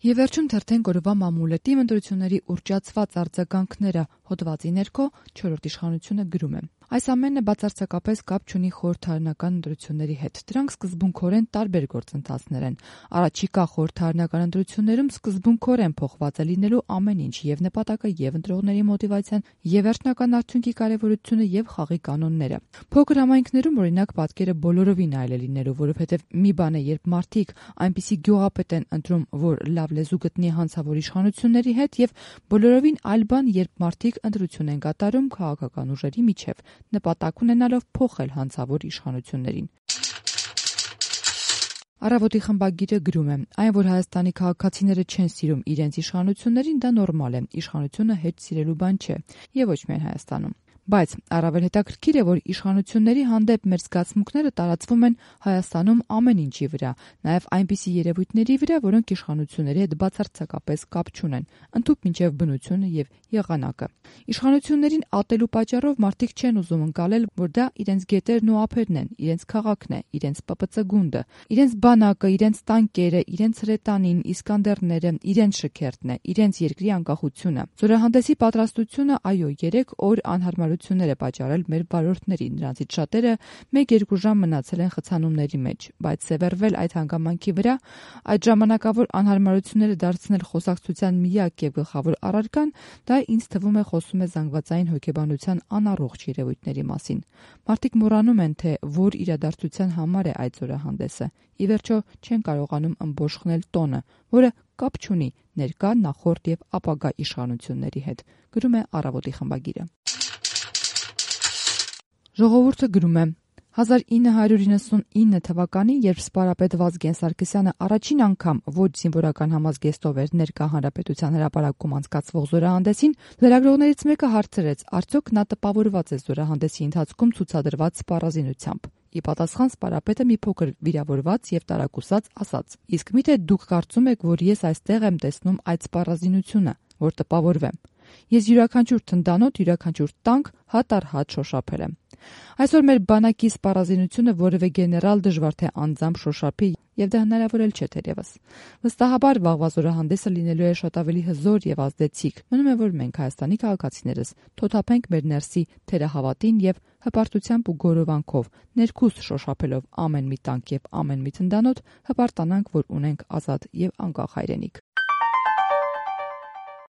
Եվ վերջում թերթենք օրվա մամուլետի ընտրությունների ուռճացված արձագանքները հոդվածի ներքո 4-րդ իշխանությունը գրում է. Այս ամենը բացարձակապես կապ չունի խորհրդարանական ընտրությունների հետ. դրանք սկզբունքորեն տարբեր գործընթացներ են. Առաջիկա խորհրդարանական ընտրություններում սկզբունքորեն փոխված է լինելու ամեն ինչ, եւ նպատակը, եւ ընտրողների մոտիվացիան, եւ վերջնական արդյունքի կարեւորությունը, եւ խաղի կանոնները։ Փոքր համայնքներում օրինակ պատկերը բոլորովին այլ է լինելու, որովհետեւ մի բան է, երբ մարդիկ այնպիսի գյուղապետ են ընտրում, որ լավ լեզու գտնի հանցավոր իշխանությունների հետ, եւ բոլորովին այլ բան, երբ մարդիկ ընտրություն են կատարում քաղաքական ուժերի միջև, նպատակ ունենալով փոխել հանցավոր իշխանություններին։ Առավոտի խմբագիրը գրում է. այն, որ Հայաստանի քաղաքացիները չեն սիրում իրենց իշխանություններին, դա նորմալ է, իշխանությունը հետ սիրելու բան չէ, եւ ոչ միայն Հայաստանում։ Բայց առավել հետաքրքիր է, որ իշխանությունների հանդեպ մեր զգացմունքները տարածվում են Հայաստանում ամեն ինչի վրա, նաև այնպիսի երևույթների վրա, որոնք իշխանությունների հետ բացարձակապես կապ չունեն, ընդհուպ մինչև բնությունը եւ եղանակը։ Իշխանություններին ատելու պատճառով մարդիկ չեն ուզում ընկալել, որ դա իրենց գետերն ու ափերն են, իրենց քաղաքն է, իրենց ՊՊՑ գունդը, իրենց բանակը, իրենց տանկերը, իրենց հրետանին, Իսկանդերները, իրենց շքերթն է, իրենց երկրի անկախությունը։ Զորահանդեսի պատրաստությունը, այո, 3 օր անհարմարություններ է պատճառել մեր վարորդներին, նրանցից շատերը 1-2 ժամ մնացել են խցանումների մեջ, բայց սևեռվել այդ հանգամանքի վրա, այդ ժամանակավոր անհարմարությունները դարձնել խոսակցության միակ եւ գլխավոր առարկան, դա ինձ թվում է խոսում է զանգվածային հոգեբանության անառողջ երևույթների մասին։ Մարդիկ մոռանում են, թե որ իրադարձության համար է այդ զորահանդեսը։ Ի վերջո չեն կարողանում ըմբոշխնել տոնը, որը կապ չունի ներկա, նախորդ եւ ապագա իշխանությունների հետ, գրում է Առավոտի խմբագիրը։ Ժողովուրդը գրում է. 1999 թվականին, երբ սպարապետ Վազգեն Սարգսյանը առաջին անգամ ոչ զինվորական համազգեստով էր ներկա Հանրապետության հրապարակում անցկացվող զորահանդեսին, լրագրողներից մեկը հարցրեց, արդյոք նա տպավորված է զորահանդեսի ընթացքում ցուցադրված սպառազինությամբ։ Ի պատասխան սպարապետը մի փոքր վիրավորված եւ տարակուսած ասաց. իսկ միթե դուք կարծում եք, որ ես այստեղ եմ տեսնում այդ սպառազինությունը, որ տպավորվեմ։ Ես յուրաքանչյուր թնդանոթ, յուրաքանչյուր տանկ հատ առ հատ շոշափել եմ։ Այսօր մեր բանակի սպառազինությունը որևէ գեներալ դժվար թե անձամբ շոշափի, եւ դա հնարավոր էլ չէ թերևս։ Վստահաբար վաղվա զորահանդեսը լինելու է շատ ավելի հզոր եւ ազդեցիկ։ Մնում է, որ մենք Հայաստանի քաղաքացիներս թոթափենք մեր ներսի թերահավատին եւ հպարտությամբ ու գորովանքով, ներքուստ շոշափելով ամեն մի տանկ եւ ամեն մի թնդանոթ, հպարտանանք, որ ունենք ազատ եւ անկախ հայրենիք։